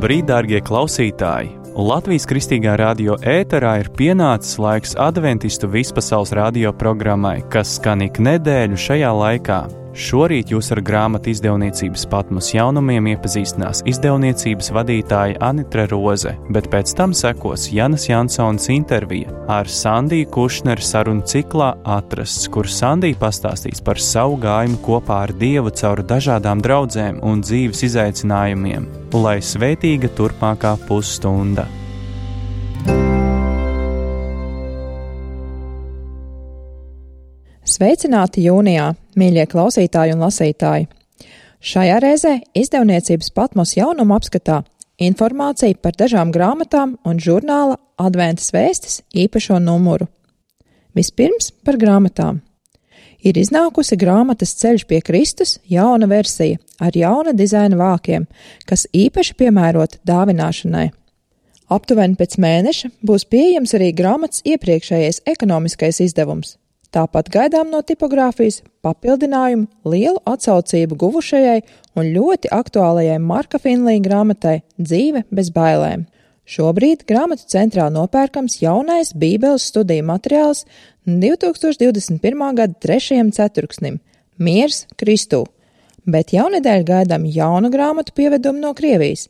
Labrīt, dārgie klausītāji! Latvijas Kristīgā radio ēterā ir pienācis laiks adventistu vispasaules radio programmai, kas skan ik nedēļu šajā laikā. Šorīt jūs ar grāmatu izdevniecības Patmos jaunumiem iepazīstinās izdevniecības vadītāja Anitra Roze, bet pēc tam sekos Janas Jansons intervija ar Sandiju Kušneru sarunu ciklā Atrasts, kur Sandija pastāstīs par savu gājumu kopā ar Dievu caur dažādām draudzēm un dzīves izaicinājumiem, lai svētīga turpmākā pusstunda. Sveicināti jūnijā, mīļie klausītāji un lasītāji! Šajā reizē izdevniecības Patmos jaunumu apskatā informācija par dažām grāmatām un žurnāla Adventas vēstis īpašo numuru. Vispirms par grāmatām. Ir iznākusi grāmatas Ceļš pie Kristus jauna versija ar jauna dizaina vākiem, kas īpaši piemērota dāvināšanai. Aptuveni pēc mēneša būs pieejams arī grāmatas iepriekšējais ekonomiskais izdevums. Tāpat gaidām no tipogrāfijas papildinājumu lielu atsaucību guvušajai un ļoti aktuālajai Marka Finlija grāmatai Dzīve bez bailēm. Šobrīd grāmatu centrā nopērkams jaunais Bībeles studiju materiāls 2021. gada 3. ceturksnim – Miers Kristū, bet jaunedēļ gaidām jaunu grāmatu pievedumu no Krievijas.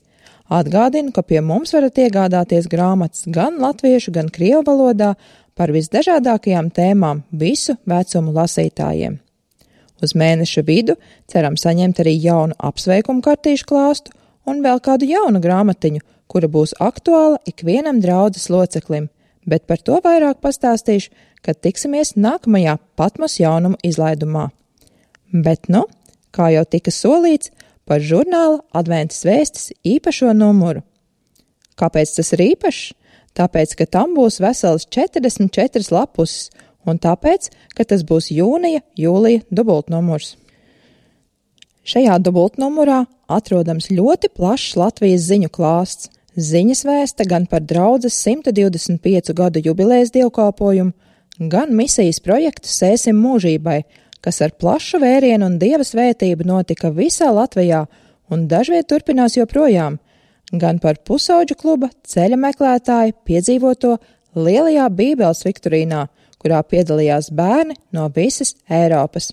Atgādinu, ka pie mums varat iegādāties grāmatas gan latviešu, gan krievu valodā par visdažādākajām tēmām visu vecumu lasītājiem. Uz mēneša vidu ceram saņemt arī jaunu apsveikumu kartīšu klāstu un vēl kādu jaunu grāmatiņu, kura būs aktuāla ikvienam draudzes loceklim, bet par to vairāk pastāstīšu, kad tiksimies nākamajā Patmos jaunumu izlaidumā. Bet kā jau tika solīts, par žurnāla Adventas vēstis īpašo numuru. Kāpēc tas ir īpašs? Tāpēc, ka tam būs vesels 44 lapuses, un tāpēc, ka tas būs jūnija-jūlija dubultnumurs. Šajā dubultnumurā atrodams ļoti plašs Latvijas ziņu klāsts. Ziņas vēsta gan par draudzes 125 gadu jubilejas dievkalpojumu, gan misijas projektu Sēsim mūžībai, kas ar plašu vērienu un Dieva svētību notika visā Latvijā un dažviet turpinās joprojām, gan par pusauģu kluba ceļa meklētāju piedzīvoto lielajā Bībeles viktorīnā, kurā piedalījās bērni no visas Eiropas.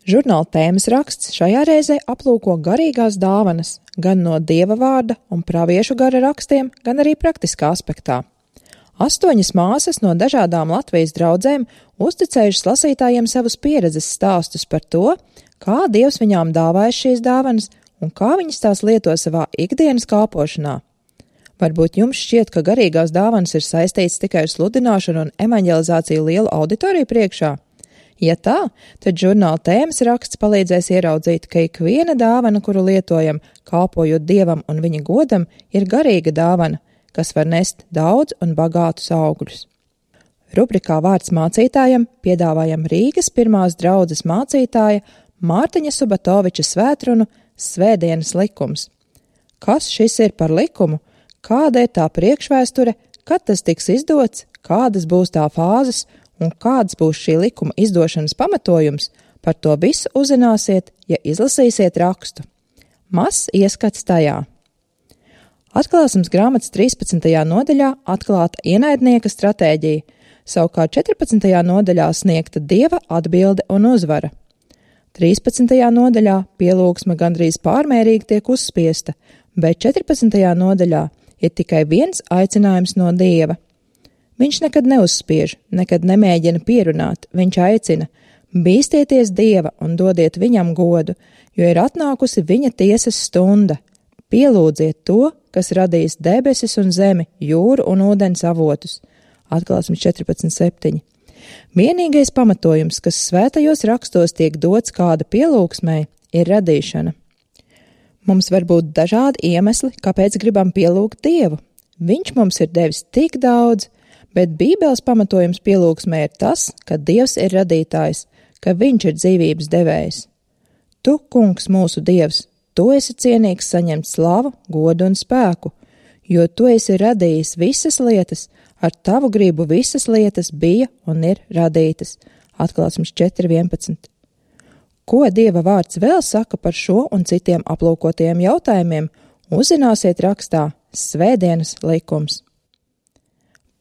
Žurnāla tēmas raksts šajā reizē aplūko garīgās dāvanas, gan no Dieva vārda un praviešu gara rakstiem, gan arī praktiskā aspektā. 8 māsas no dažādām Latvijas draudzēm uzticējušas lasītājiem savus pieredzes stāstus par to, kā Dievs viņām dāvājas šīs dāvanas un kā viņas tās lieto savā ikdienas kalpošanā. Varbūt jums šķiet, ka garīgās dāvanas ir saistīts tikai ar sludināšanu un evaņģelizāciju lielu auditoriju priekšā? Ja tā, tad žurnāla tēmas raksts palīdzēs ieraudzīt, ka ikviena dāvana, kuru lietojam, kalpojot Dievam un viņa godam, ir garīga dāvana, kas var nest daudz un bagātus augļus. Rubrikā Vārds mācītājam piedāvājam Rīgas pirmās draudzes mācītāja Mārtiņa Subatoviča svētrunu Svētdienas likums. Kas šis ir par likumu? Kāda ir tā priekšvēsture, kad tas tiks izdots, kādas būs tā fāzes un kāds būs šī likuma izdošanas pamatojums? Par to visu uzzināsiet, ja izlasīsiet rakstu. Mazs ieskats tajā. Atklāsmes grāmatas 13. nodaļā atklāta ienaidnieka stratēģija, savukārt 14. nodaļā sniegta Dieva atbilde un uzvara. 13. nodaļā pielūgsme gandrīz pārmērīgi tiek uzspiesta, bet 14. nodaļā ir tikai viens aicinājums no Dieva. Viņš nekad neuzspiež, nekad nemēģina pierunāt, viņš aicina: bīstieties Dieva un dodiet viņam godu, jo ir atnākusi viņa tiesas stunda. Pielūdziet to, kas radījis debesis un zemi, jūru un ūdens avotus. Atklāsmes 14.7. Vienīgais pamatojums, kas svētajos rakstos tiek dots kāda pielūgsmei, ir radīšana. Mums var būt dažādi iemesli, kāpēc gribam pielūgt Dievu. Viņš mums ir devis tik daudz, bet Bībeles pamatojums pielūgsmei ir tas, ka Dievs ir radītājs, ka viņš ir dzīvības devējs. Tu, kungs, mūsu Dievs, tu esi cienīgs saņemt slavu, godu un spēku, jo tu esi radījis visas lietas, ar tavu gribu visas lietas bija un ir radītas. Atklāsmes 4.11. Ko Dieva vārds vēl saka par šo un citiem aplūkotajiem jautājumiem uzzināsiet rakstā Svētdienas likums.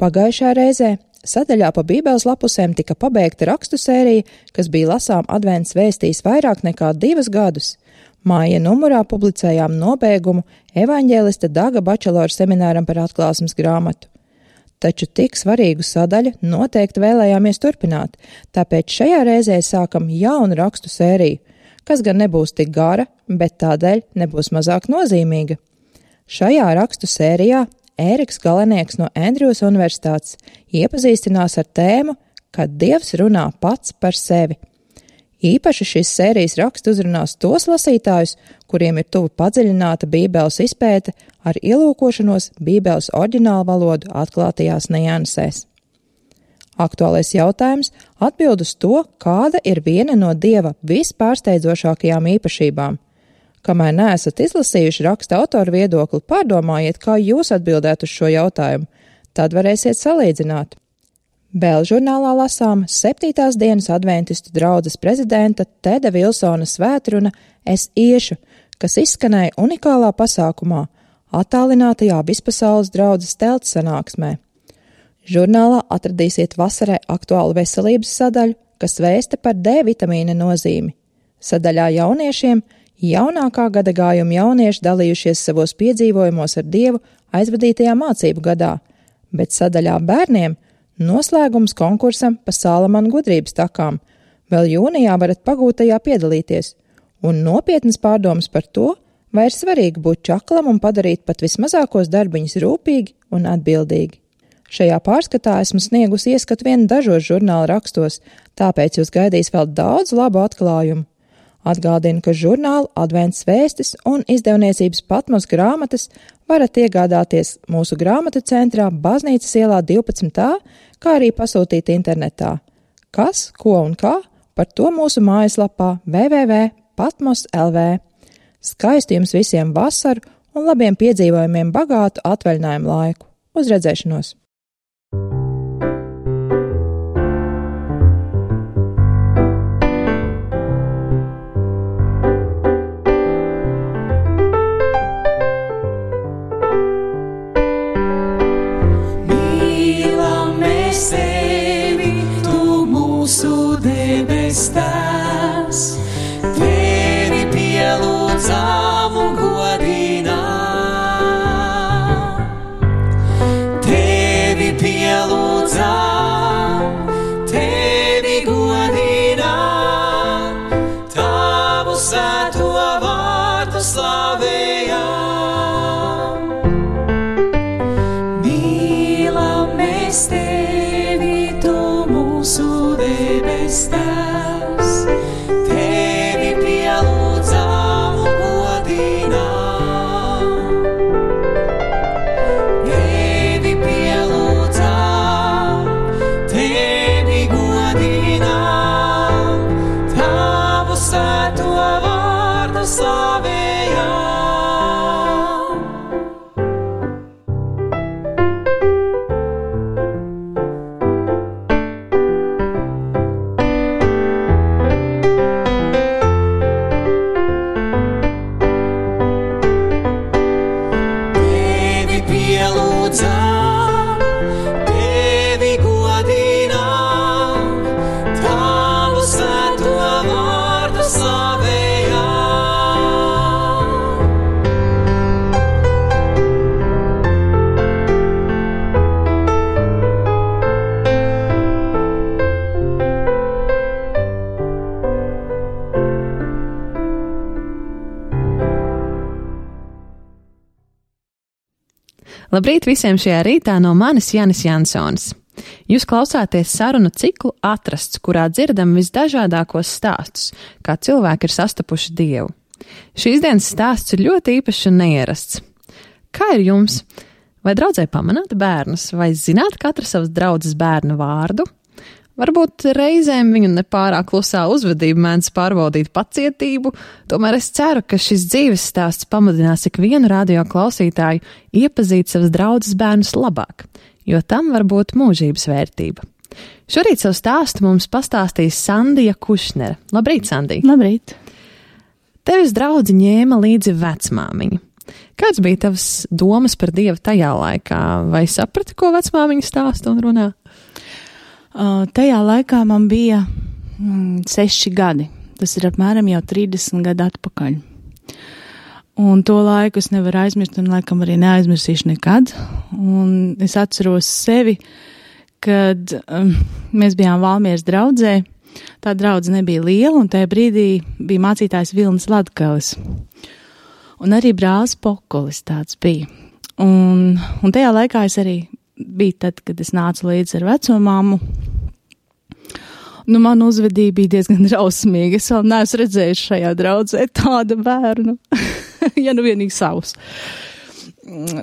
Pagājušā reizē sadaļā pa Bībeles lapusēm tika pabeigta rakstu sērija, kas bija lasām advents vēstīs vairāk nekā 2 gadus. Māja numurā publicējām nobeigumu evaņģēlista Daga bačelora semināram par atklāsmes grāmatu. Taču tik svarīgu sadaļu noteikti vēlējāmies turpināt, tāpēc šajā reizē sākam jaunu rakstu sēriju, kas gan nebūs tik gara, bet tādēļ nebūs mazāk nozīmīga. Šajā rakstu sērijā Ēriks Galenieks no Andrjūs universitātes iepazīstinās ar tēmu, kad Dievs runā pats par sevi. Īpaši šīs sērijas raksts uzrunās tos lasītājus, kuriem ir tuva padziļināta Bībeles izpēte ar ielūkošanos Bībeles oriģinālu valodu atklātajās niansēs. Aktuālais jautājums atbild uz to, kāda ir viena no Dieva vispārsteidzošākajām īpašībām. Kamēr neesat izlasījuši raksta autora viedokli, pārdomājiet, kā jūs atbildētu uz šo jautājumu. Tad varēsiet salīdzināt. Bēļu žurnālā lasām 7. dienas adventistu draudzes prezidenta Teda Vilsona svētruna Es iešu, kas izskanēja unikālā pasākumā, attālinātajā vispasaules draudzes telts sanāksmē. Žurnālā atradīsiet vasarai aktuālu veselības sadaļu, kas vēsta par D vitamīna nozīmi. Sadaļā jauniešiem jaunākā gada gājuma jaunieši dalījušies savos piedzīvojumos ar Dievu aizvadītajā mācību gadā, bet sadaļā bērniem noslēgums konkursam pa Salamana gudrības takām. Vēl jūnijā varat pagūtajā piedalīties. Un nopietnas pārdomas par to, vai ir svarīgi būt čaklam un padarīt pat vismazākos darbiņus rūpīgi un atbildīgi. Šajā pārskatā esmu sniegusi ieskatu vien dažos žurnāla rakstos, tāpēc jūs gaidīs vēl daudz labu atklājumu. Atgādinu, ka žurnālu Advents vēstis un izdevniecības Patmos grāmatas varat iegādāties mūsu grāmatu centrā Baznīcas ielā 12. kā arī pasūtīt internetā. Kas, ko un kā, par to mūsu mājaslapā www.patmos.lv. Skaistu jums visiem vasaru un labiem piedzīvojumiem bagātu atvaļinājumu laiku. Uz redzēšanos! Tēvs, tevi pielūdzam un godinām. Tevi pielūdzam, tevi godinām, tavu svēto vārdu slavējam. Mīlam mēs tevi, tu mūsu debes Tēvs, tevi pielūdzam un godinām. Tevi pielūdzam, tevi godinām, tavu svēto vārdu slavējam. Labrīt visiem šajā rītā no manis Jānis Jansons. Jūs klausāties sarunu ciklu Atrasts, kurā dzirdam visdažādākos stāstus, kā cilvēki ir sastapuši Dievu. Šīs dienas stāsts ir ļoti īpašs un neierasts. Kā ir jums? Vai draudzē pamanāt bērnus, vai zināt katra savas draudzes bērnu vārdu? Varbūt reizēm viņu nepārāk klusā uzvedība mēdz pārbaudīt pacietību, tomēr es ceru, ka šis dzīves stāsts pamudinās ikvienu radio klausītāju iepazīt savas draudzes bērnus labāk, jo tam var būt mūžības vērtība. Šorīt savu stāstu mums pastāstīs Sandija Kušnere. Labrīt, Sandija! Labrīt! Tevis draudzi ņēma līdzi vecmāmiņu. Kāds bija tavs domas par Dievu tajā laikā? Vai saprati, ko vecmāmiņa stāsta un runā? Tajā laikā man bija 6 gadi. Tas ir apmēram jau 30 gadu atpakaļ. Un to laiku es nevaru aizmirst un laikam arī neaizmirsīšu nekad. Un es atceros sevi, kad mēs bijām Valmieras draudzē. Tā draudze nebija liela un tajā brīdī bija mācītājs Vilnis Latgalis. Un arī brālis Pokolis tāds bija. Un tajā laikā es arī biju tad, kad es nācu līdzi ar veco mammu. Nu, man uzvedība bija diezgan drausmīga. Es vēl neesmu redzējis šajā draudzē tādu bērnu. Ja nu vienīgi savus.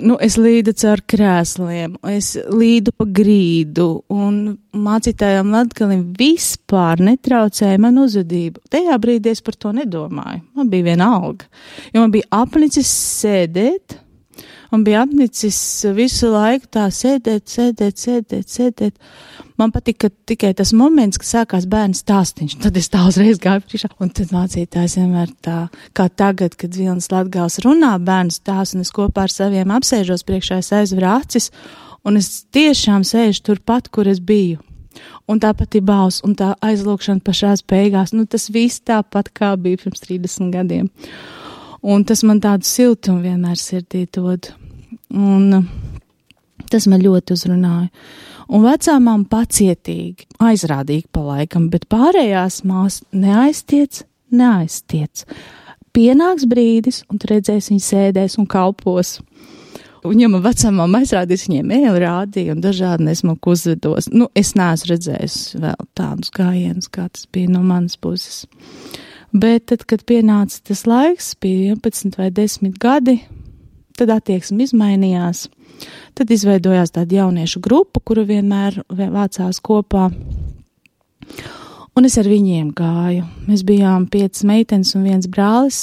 Nu, es līdu caur krēsliem, es līdu pa grīdu, un mācītājām Latgalim vispār netraucēja man uzvedību. Tajā brīdī es par to nedomāju. Man bija vienalga. Jo man bija apnicis sēdēt, un bija apnicis visu laiku tā sēdēt. Man patika tikai tas moments, kad sākās bērnu stāstiņš. Tad es tā uzreiz gāju priekšā. Un tad mācītājs vienmēr tā, kā tagad, kad Vilnis Latgals runā bērnu stāstu, un es kopā ar saviem apsēžos priekšā, es aizveru acis, un es tiešām sēžu turpat, kur es biju. Un tā pati balss, un tā aizlūkšana pašās beigās. Nu, tas viss tāpat, kā bija pirms 30 gadiem. Un tas man tādu siltumu vienmēr sirdī dod. Un tas man ļoti uzrunāja. Un vecā mamma pacietīgi, aizrādīgi pa laikam, bet pārējās mās neaiztiec. Pienāks brīdis, un tu redzēsi, viņi sēdēs un kalpos. Un ja man vecā mamma aizrādīs, viņiem ēli rādīja un dažādi nesmuku uzvedos. Nu, es neesmu redzējis vēl tādus gājienus, kā tas bija no manas puses. Bet tad, kad pienāca tas laiks, bija 11 vai 10 gadi, tad attieksme izmainījās. Tad izveidojās tāda jauniešu grupa, kura vienmēr vācās kopā. Un es ar viņiem gāju. Mēs bijām 5 meitenes un 1 brālis.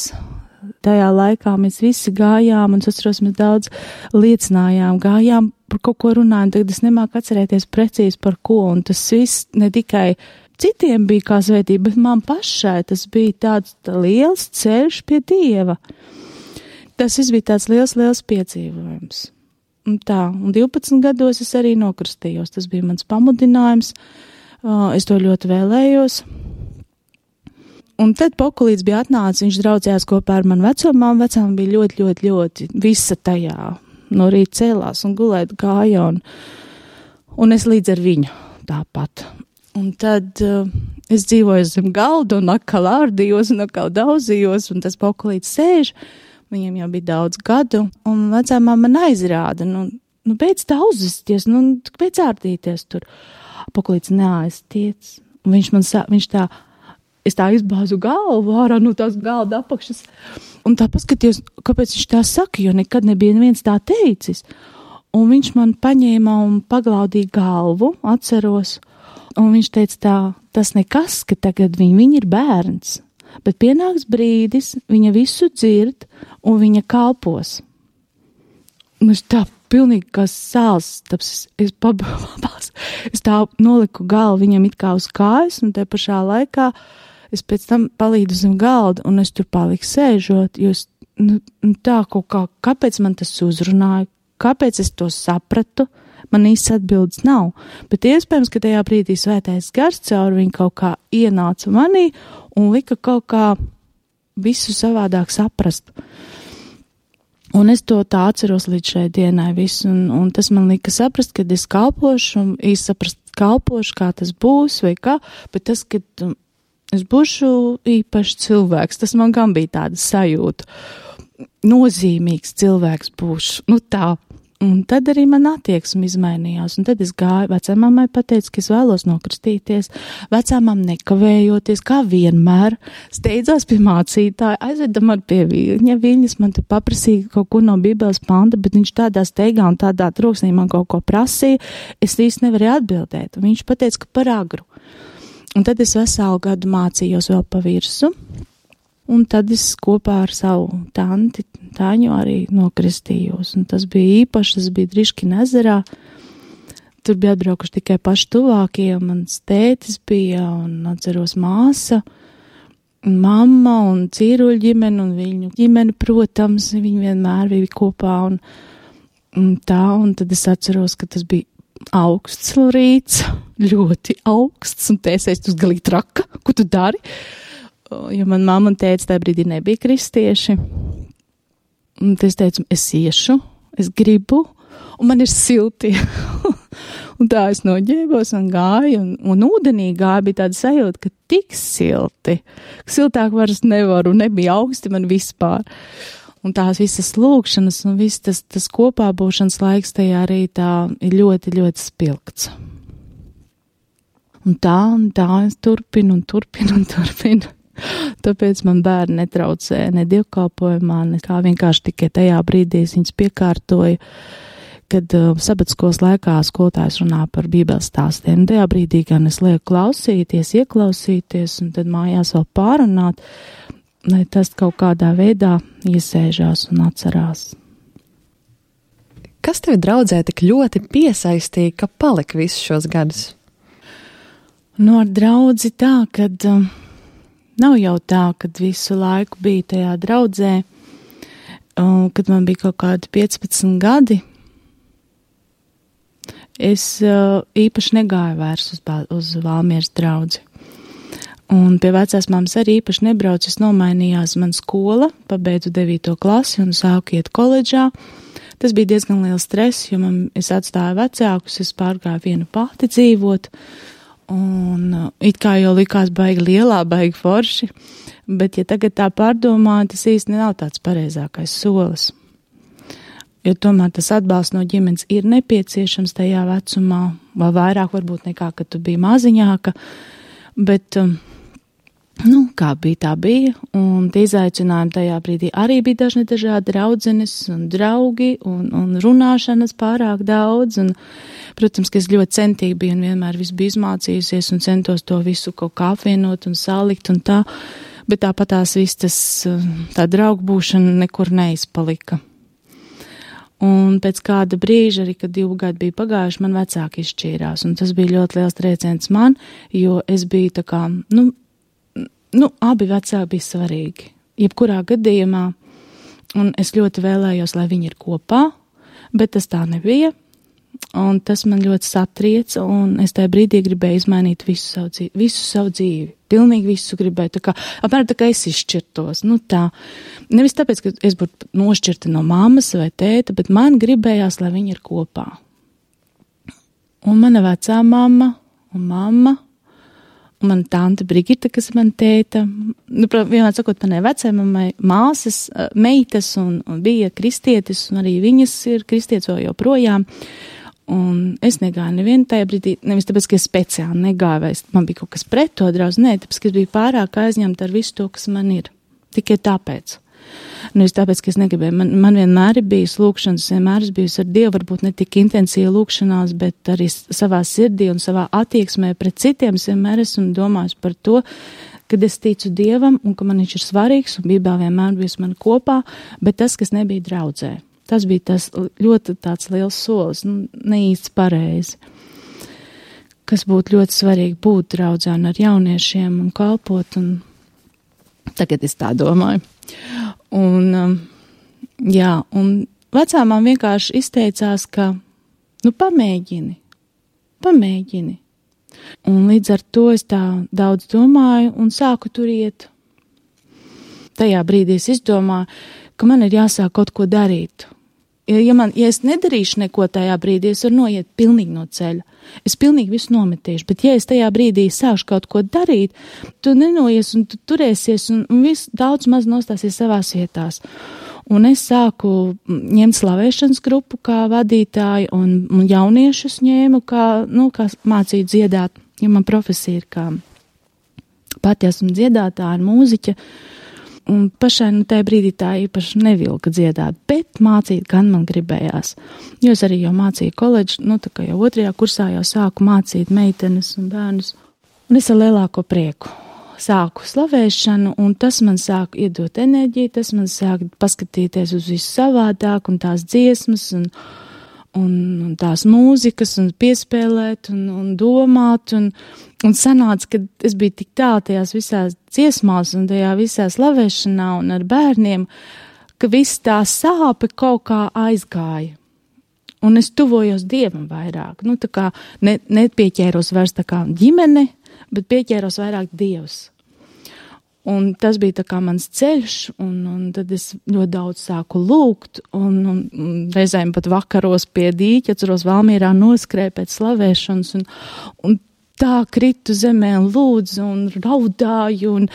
Tajā laikā mēs visi gājām, un es atceros, mēs daudz liecinājām, gājām par kaut ko runājām. Tagad es nemāku atcerēties precīzi par ko, un tas viss ne tikai citiem bija kā svētība, bet man pašai tas bija tāds liels ceļš pie Dieva. Tas viss bija tāds liels piedzīvojums. Un 12 gados es arī nokristījos. Tas bija mans pamudinājums. Es to ļoti vēlējos. Un tad Pokulīts bija atnācis, viņš draudzējās kopā ar manu vecumām. Vecām bija ļoti visa tajā. No rīta cēlās un gulēt gāja. Un es līdz ar viņu tāpat. Un tad es dzīvoju zem galda un atkal ārdījos un atkal daudzījos. Un tas Pokulīts sēž. Viņiem jau bija daudz gadu, un vecā mamma man aizrāda, nu beidz tā uzvesties, beidz ārdīties tur. Pokulīts neaiztiec, un es tā izbāzu galvu ārā no tās galda apakšas, un tā paskatījos, kāpēc viņš tā saka, jo nekad nebija neviens tā teicis. Un viņš man paņēma un paglaudīja galvu, atceros, un viņš teica tā, tas nekas, ka tagad viņa ir bērns. Bet pienāks brīdis, viņa visu dzird, un viņa kalpos. Un es tā pilnīgi kā sāls, es tā noliku galvu viņam it kā uz kājas, un te pašā laikā es pēc tam palīdu zem galda, un es tur paliku sēžot, jo tā kaut kā, kāpēc man tas uzrunāja, kāpēc es to sapratu, man īsts atbildes nav. Bet iespējams, ka tajā brīdī svētais gars caur viņu kaut kā ienāca manī, un lika kaut kā visu savādāk saprast. Un es to tā atceros līdz šai dienai visu, un tas man lika saprast, kad es kalpošu, un īsti saprast kalpošu, kā tas būs, vai kā, bet tas, kad es būšu īpašs cilvēks, tas man gan bija tāda sajūta. Nozīmīgs cilvēks būšu, tā. Un tad arī man attieksme izmainījās, un tad es gāju, vecāmai pateicu, ka es vēlos nokristīties, vecāmam nekavējoties, kā vienmēr, steidzās pie mācītāja, aizveda man pie viņas, man te paprasīja kaut ko no Bībeles panta, bet viņš tādā steigā un tādā troksnī man kaut ko prasīja, es īsti nevarēju atbildēt, un viņš pateica, ka par agru. Un tad es veselu gadu mācījos vēl pa virsu, un tad es kopā ar savu tanti Tāņu arī nokristījos, un tas bija īpaši, tas bija Driškina ezerā. Tur bija atbraukuši tikai paši tuvākie, mans tētis bija, un atceros māsa, mamma un cīruļu ģimene un viņu ģimene, protams, viņi vienmēr bija kopā un tad es atceros, ka tas bija augsts rīts, ļoti augsts, un tēsēs tu galīgi traka, ko tu dari? Jo man mamma un tētis tajā brīdī nebija kristieši. Un es teicu, es iešu, es gribu, un man ir silti. Un tā es noģēbos un gāju, un ūdenī gāju, bija tāda sajūta, ka tik silti, ka siltāk vairs nevaru, nebija augsti man vispār. Un tās visas lūkšanas un viss tas kopā būšanas laiks tajā rītā ir ļoti, ļoti spilgts. Un tā es turpinu. Tāpēc man bērni netraucēja ne dievkalpojumā, nekā vienkārši tikai tajā brīdī es viņus piekārtoju, kad sabatskolas laikā skolotājs runā par bībeles stāstiem. Tajā brīdī gan es lieku klausīties, ieklausīties un tad mājās vēl pārunāt, lai tas kaut kādā veidā iesēžās un atcerās. Kas tevi draudzē tik ļoti piesaistīja, ka palika visus šos gadus? Ar draudzi tā, kad nav jau tā, kad visu laiku bija tajā draudzē, kad man bija kaut kādi 15 gadi. Es īpaši negāju vairs uz Valmieras draudzi. Un pie vecās mammas arī īpaši nebraucu, es nomainījās man skola, pabeidzu 9. klasi un sāku iet koledžā. Tas bija diezgan liels stress, jo es atstāju vecākus, es pārgāju viena pati dzīvot. Un it kā jau likās baigi lielā, baigi forši, bet ja tagad tā pārdomāju, tas īsti nav tāds pareizākais solis. Jo tomēr tas atbalsts no ģimenes ir nepieciešams tajā vecumā, vēl vairāk varbūt nekā, kad tu biji maziņāka, bet, kā bija, tā bija, un tie izaicinājumi tajā brīdī arī bija dažādi draudzenes un draugi, un runāšanas pārāk daudz, un protams, ka es ļoti centīgi biju un vienmēr visu biju izmācījusies un centos to visu kaut kā apvienot un salikt un tā, bet tāpat tās viss tā draugu būšana nekur neizpalika. Un pēc kāda brīža, arī kad 2 gadi bija pagājuši, man vecāki izšķīrās, un tas bija ļoti liels trieciens man, jo es biju tā kā, abi vecāki bija svarīgi, jebkurā gadījumā, un es ļoti vēlējos, lai viņi ir kopā, bet tas tā nebija. Un tas man ļoti satrieca, un es tajā brīdī gribēju izmainīt visu savu dzīvi. Pilnīgi visu gribēju, apmēram tā kā es izšķirtos. Tā. Nevis tāpēc, ka es būtu nošķirta no mammas vai tēta, bet man gribējās, lai viņi ir kopā. Un mana vecā mamma un mamma, un mana tante Brigita, kas ir mana tēta, vienmēr sakot, manai vecai mammai māsas, meitas un bija kristietis, un arī viņas ir kristietis vēl joprojām. Un es negāju nevienu tajā brīdī, nevis tāpēc, ka es speciāli negāju, vai man bija kaut kas pret to draudzi, nē, tāpēc, ka es biju pārāk aizņemta ar visu to, kas man ir. Tikai tāpēc. Nevis tāpēc, ka es negribēju. Man vienmēr ir bijis lūkšanas, vienmēr es bijusi ar Dievu, varbūt ne tik intensīvi lūkšanās, bet arī savā sirdī un savā attieksmē pret citiem es vienmēr esmu domājis par to, kad es ticu Dievam un ka man viņš ir svarīgs un Bībelē vienmēr bijis man kopā, bet tas, kas nebija draudzē. Tas bija tas ļoti tāds liels solis, neīsts pareizi, kas būtu ļoti svarīgi būt draudzē un ar jauniešiem un kalpot, un tagad es tā domāju. Un vecāmām vienkārši izteicās, ka, pamēģini. Un līdz ar to es tā daudz domāju un sāku tur iet. Tajā brīdī es izdomāju, ka man ir jāsāk kaut ko darīt. Ja es nedarīšu neko tajā brīdī, es varu noiet pilnīgi no ceļa. Es pilnīgi visu nometīšu, bet ja es tajā brīdī sākšu kaut ko darīt, tu nenoies un tu turēsies un viss daudz maz nostāsies savās vietās. Un es sāku ņemt slavēšanas grupu kā vadītāju un jauniešus ņēmu, kā mācīju dziedāt, jo man profesija ir kā pati esmu dziedātāja un mūziķa. Un pašai tajā brīdī tā īpaši nevilka dziedāt, bet mācīt gan man gribējās. Jo es arī jau mācīju koledžu, tā kā jau 2. kursā jau sāku mācīt meitenes un bērnus. Un es ar lielāko prieku sāku slavēšanu, un tas man sāka iedot enerģiju, tas man sāka paskatīties uz visu savādāk un tās dziesmas, un tās mūzikas, un piespēlēt, un domāt, un sanāca, ka es biju tik tālu tajās visās dziesmās, un tajā visā slavēšanā, un ar bērniem, ka viss tā sāpe kaut kā aizgāja. Un es tuvojos Dievam vairāk, nu tā kā nepieķēros vairs tā kā ģimene, bet pieķēros vairāk Dievs. Un tas bija tā kā mans ceļš, un tad es ļoti daudz sāku lūgt, un reizēm pat vakaros pie dīķa, atceros Valmierā noskrēju pēc slavēšanas, un tā kritu zemē un lūdzu un raudāju, un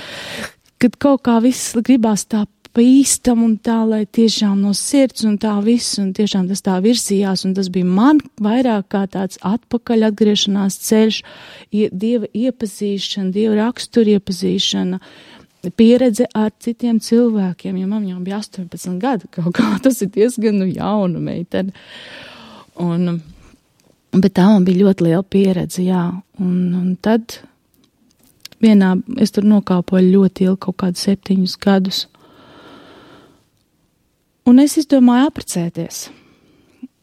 kad kaut kā viss gribās tā pa īstam un tā, lai tiešām no sirds un tā viss, un tiešām tas tā virzījās, un tas bija man vairāk kā tāds atpakaļ atgriešanās ceļš, Dieva iepazīšana, Dieva rakstura iepazīšana, pieredze ar citiem cilvēkiem, jo man jau bija 18 gadi, kaut kā tas ir diezgan jauna meitene. Bet tā man bija ļoti liela pieredze, jā. Un tad es tur nokāpoju ļoti ilgi, kaut kādu 7 gadus. Un es izdomāju apprecēties,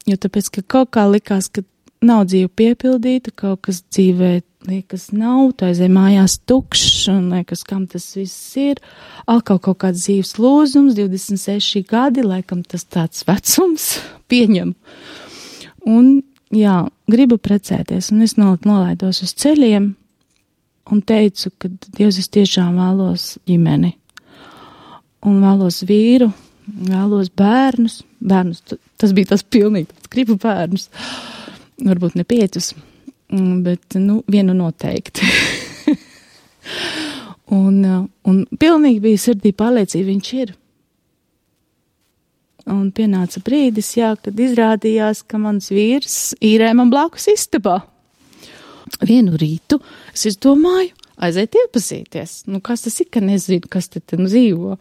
jo tāpēc, ka kaut kā likās, ka nav dzīve piepildīta, kaut kas dzīvē liekas nav, tā aizēj mājās tukšs, un liekas, kam tas viss ir. Atkal kaut kāds dzīves lūzums, 26 gadi, laikam tas tāds vecums, pieņem. Un, jā, gribu precēties, un es nolaidos uz ceļiem, un teicu, ka Dievs, es tiešām vēlos ģimeni, un vēlos vīru, vēlos bērnus, tas bija tas pilnīgi, gribu bērnus, varbūt ne 5, bet, vienu noteikti. un pilnīgi bija sirdī pārliecība, viņš ir. Un pienāca brīdis, jā, kad izrādījās, ka mans vīrs īrē man blakus istabā. Vienu rītu es izdomāju aiziet iepazīties. Kas tas ir, ka nezinu, kas te dzīvo.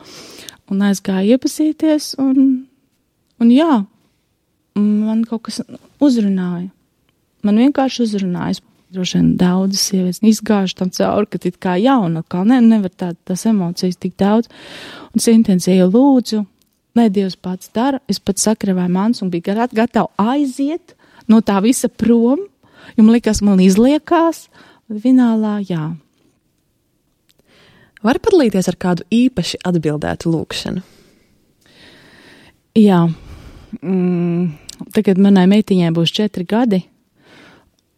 Un aizgāju iepazīties, un jā, man kaut kas uzrunāja. Man vienkārši uzrunājas, droši vien daudzas sievietes izgājuši tam cauri, ka it kā jauna, kā nevar tās emocijas tik daudz. Un es intensīvi lūdzu, lai Dievs pats dara, es pat sakravēju mans un biju gatava aiziet no tā visa prom, jo man likās, man izliekās, bet finālā jā. Var padalīties ar kādu īpaši atbildētu lūkšanu? Jā. Tagad manai meitiņai būs 4 gadi.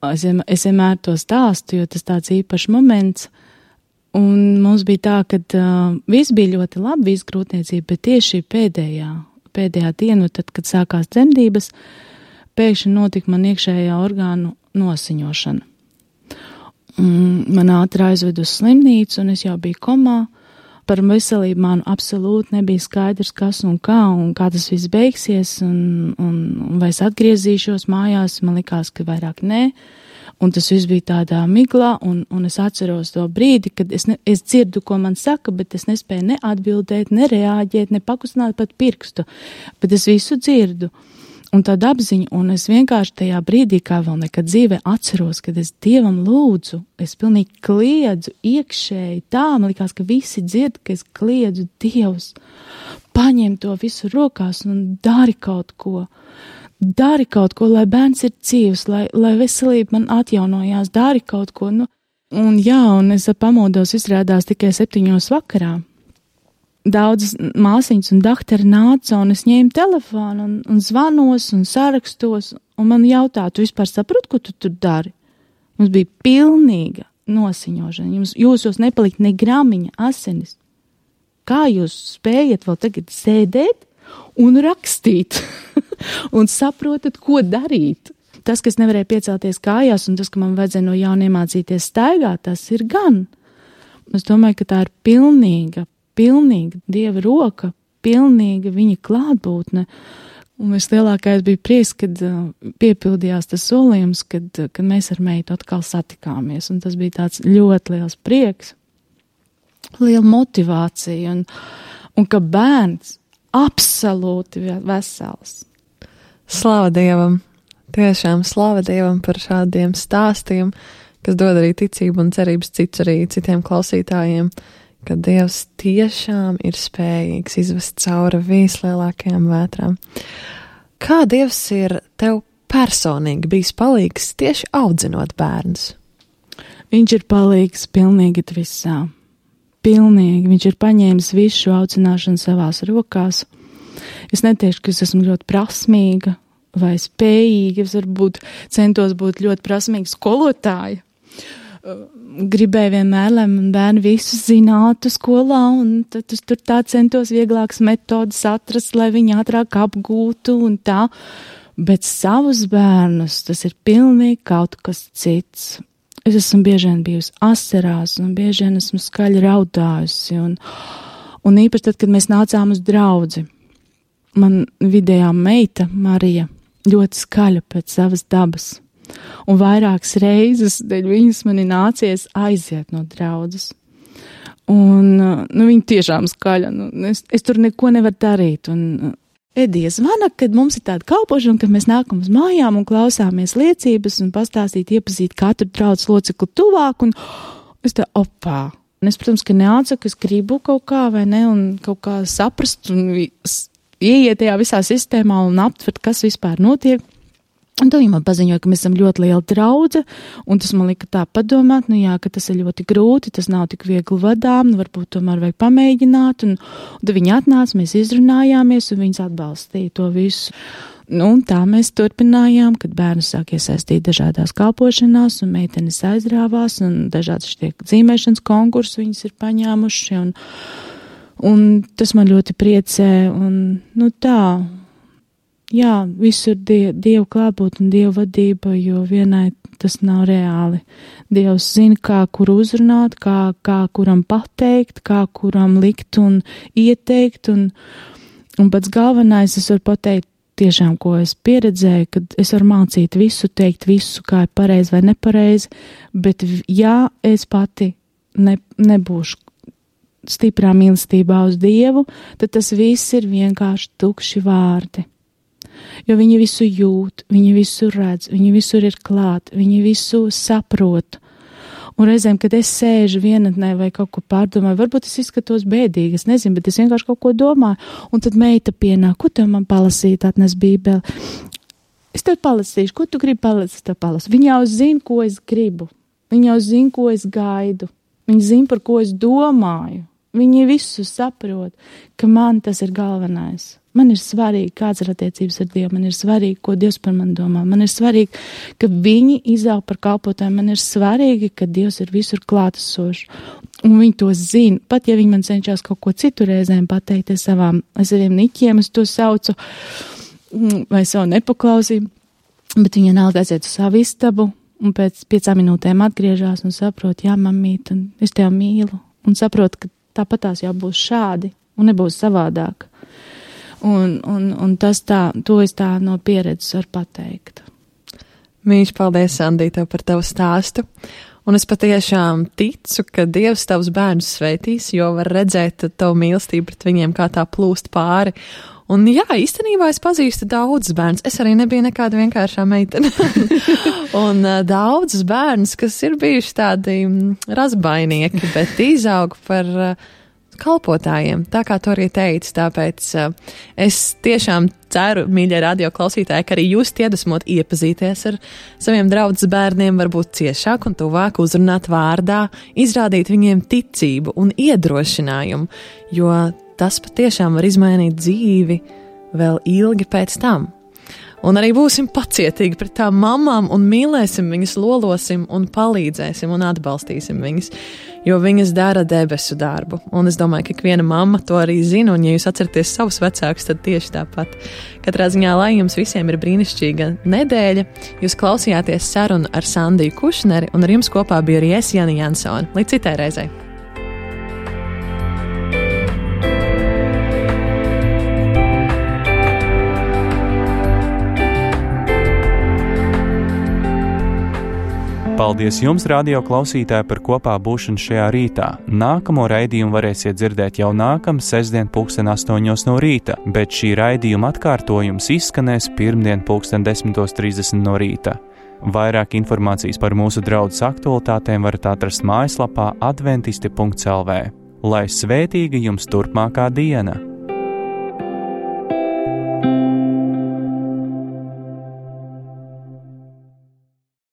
Es vienmēr to stāstu, jo tas tāds īpašs moments. Un mums bija tā, ka viss bija ļoti labi, viss grūtniecība, bet tieši pēdējā dienu, tad, kad sākās dzemdības, pēkšņi notika man iekšējā orgānu nosiņošana. Man ātri aizved uz slimnīcu, un es jau biju komā. Par veselību man absolūti nebija skaidrs, kas un kā tas viss beigsies, un vai es atgriezīšos mājās, man likās, ka vairāk nē, un tas viss bija tādā miglā, un es atceros to brīdi, kad es dzirdu, ko man saka, bet es nespēju ne atbildēt, ne reaģēt, ne pakustināt pat pirkstu, bet es visu dzirdu. Un tāda apziņa, un es vienkārši tajā brīdī, kā vēl nekad dzīvē, atceros, kad es Dievam lūdzu, es pilnīgi kliedzu iekšēji tā, man likās, ka visi dzird, ka es kliedzu Dievs, paņem to visu rokās un dari kaut ko, lai bērns ir dzīvs, lai veselība man atjaunojās, dari kaut ko, un jā, un es pamodos izrādās tikai 7 vakarā. Daudzas māsiņas un daktari nāca, un es ņēmu telefonu un zvanos un sarakstos, un man jautā, tu vispār saproti, ko tu tur dari? Mums bija pilnīga nosiņošana, jūsos nepalikt ne gramiņa asinis. Kā jūs spējat vēl tagad sēdēt un rakstīt un saprotat, ko darīt? Tas, kas nevarēja piecelties kājās, un tas, ka man vajadzēja no jauna iemācīties staigāt, tas ir gan. Es domāju, ka tā ir pilnīga Dieva roka, pilnīga viņa klātbūtne. Un vislielākais bija prieks, kad piepildījās tas solījums, kad mēs ar meitu atkal satikāmies. Un tas bija tāds ļoti liels prieks, liela motivācija, un ka bērns absolūti vesels. Slava Dievam! Tiešām slava Dievam par šādiem stāstiem, kas dod arī ticību un cerības citiem klausītājiem, ka Dievs tiešām ir spējīgs izvest cauri vislielākajām vētrām. Kā Dievs ir tev personīgi bijis palīgs tieši audzinot bērnus? Viņš ir palīgs pilnīgi visā. Pilnīgi. Viņš ir paņēmis visu šo audzināšanu savās rokās. Es neteikšu, ka es esmu ļoti prasmīga vai spējīga. Es varbūt centos būt ļoti prasmīga skolotāja. Gribēju vienmēr, lai man bērni visu zinātu skolā, un tad es tur tā centos vieglākas metodas atrast, lai viņi ātrāk apgūtu un tā. Bet savus bērnus tas ir pilnīgi kaut kas cits. Es esmu bieži vien bijusi asarās, un bieži vien esmu skaļi raudājusi, un īpaši tad, kad mēs nācām uz draudzi. Man vidējā meita, Marija, ļoti skaļa pēc savas dabas, un vairākas reizes dēļ viņas man ir nācies aiziet no draudzes. Un, viņa tiešām skaļa, es tur neko nevaru darīt, un Edija zvana, kad mums ir tāda kalpošana, kad mēs nākam uz mājām un klausāmies liecības un pastāstīt, iepazīt katru draudzes locekli tuvāk, un es tā, opā. Un es, protams, ka neatsaku, es gribu kaut kā, vai ne, un kaut kā saprast un ieiet tajā visā sistēmā un aptvert, kas vispār notiek. Un tad viņi man paziņoja, ka mēs esam ļoti liela draudze, un tas man lika tā padomāt, ka tas ir ļoti grūti, tas nav tik viegli vadām, varbūt tomēr vajag pamēģināt, un tad viņi atnāca, mēs izrunājāmies, un viņas atbalstīja to visu. Un tā mēs turpinājām, kad bērnus sāk iesaistīt dažādās kalpošanās, un meitenes aizrāvās, un dažādas tiek dzīmēšanas konkursus viņas ir paņēmuši, un tas man ļoti priecē, un tā. Jā, visur Dievu klātbūt un Dievu vadība, jo vienai tas nav reāli. Dievs zina, kā kur uzrunāt, kā kuram pateikt, kā kuram likt un ieteikt, un pats galvenais es varu pateikt tiešām, ko es pieredzēju, kad es varu mācīt visu, teikt visu, kā ir pareizi vai nepareizi, bet ja es pati nebūšu stiprā mīlestībā uz Dievu, tad tas viss ir vienkārši tukši vārdi. Jo viņi visu jūt, viņi visu redz, viņi visur ir klāt, viņi visu saprot. Un reizēm, kad es sēžu vienatnē vai kaut ko pārdomāju, varbūt es izskatos bēdīgi, es nezinu, bet es vienkārši kaut ko domāju. Un tad meita pienāk, ko tev man palasīt, atnes bībeli. Es tev palasīšu, ko tu gribi palasīt, tev palasīt. Viņa jau zina, ko es gribu. Viņa jau zina, ko es gaidu. Viņa zina, par ko es domāju. Viņi visu saprot, ka man tas ir galvenais. Man ir svarīgi, kāds ir attiecības ar Dievu, man ir svarīgi, ko Dievs par mani domā, man ir svarīgi, ka viņi izaug par kalpotājiem, man ir svarīgi, ka Dievs ir visur klātesošs, un viņi to zina, pat ja viņi man cenšas kaut ko citu reizēm pateikt ar saviem niķiem, es to saucu, vai savu nepaklausību, bet viņa nāk aiziet uz savu istabu, un pēc 5 minūtēm atgriežās un saprot, jā, mamīt, un es tev mīlu, un saprot, ka tāpatās jau būs šādi, un nebūs savādāk. Un tas tā, to es tā no pieredzes varu pateikt. Mīļš, paldies, Sandī, tev par tavu stāstu. Un es patiešām ticu, ka Dievs tavus bērnus sveitīs, jo var redzēt tavu mīlestību pret viņiem, kā tā plūst pāri. Un jā, īstenībā es pazīstu daudzus bērnus. Es arī nebiju nekāda vienkāršā meitene. Un daudzus bērnus, kas ir bijuši tādi razbainieki, bet izaug par kalpotājiem, tā kā tu arī teici, tāpēc es tiešām ceru, mīļie radio klausītāji, ka arī jūs iedvesmot iepazīties ar saviem draudzes bērniem, varbūt ciešāk un tuvāk uzrunāt vārdā, izrādīt viņiem ticību un iedrošinājumu, jo tas patiešām var izmainīt dzīvi vēl ilgi pēc tam. Un arī būsim pacietīgi pret tām mamām un mīlēsim viņas, lolosim un palīdzēsim un atbalstīsim viņas, jo viņas dara debesu darbu. Un es domāju, ka ikviena mamma to arī zina, un ja jūs atceraties savus vecākus, tad tieši tāpat. Katrā ziņā, lai jums visiem ir brīnišķīga nedēļa, jūs klausījāties sarunu ar Sandiju Kušneri, un ar jums kopā bija arī es, Jana Jansone. Līdz citai reizei! Paldies jums, radio klausītāji, par kopā būšanu šajā rītā. Nākamo raidījumu varēsiet dzirdēt jau nākamā sestdien 8:00 no rīta, bet šī raidījuma atkārtojums izskanēs pirmdien 10:30 no rīta. Vairāk informācijas par mūsu draudzes aktualitātēm varat atrast mājaslapā adventisti.lv. Lai svētīga jums turpmākā diena!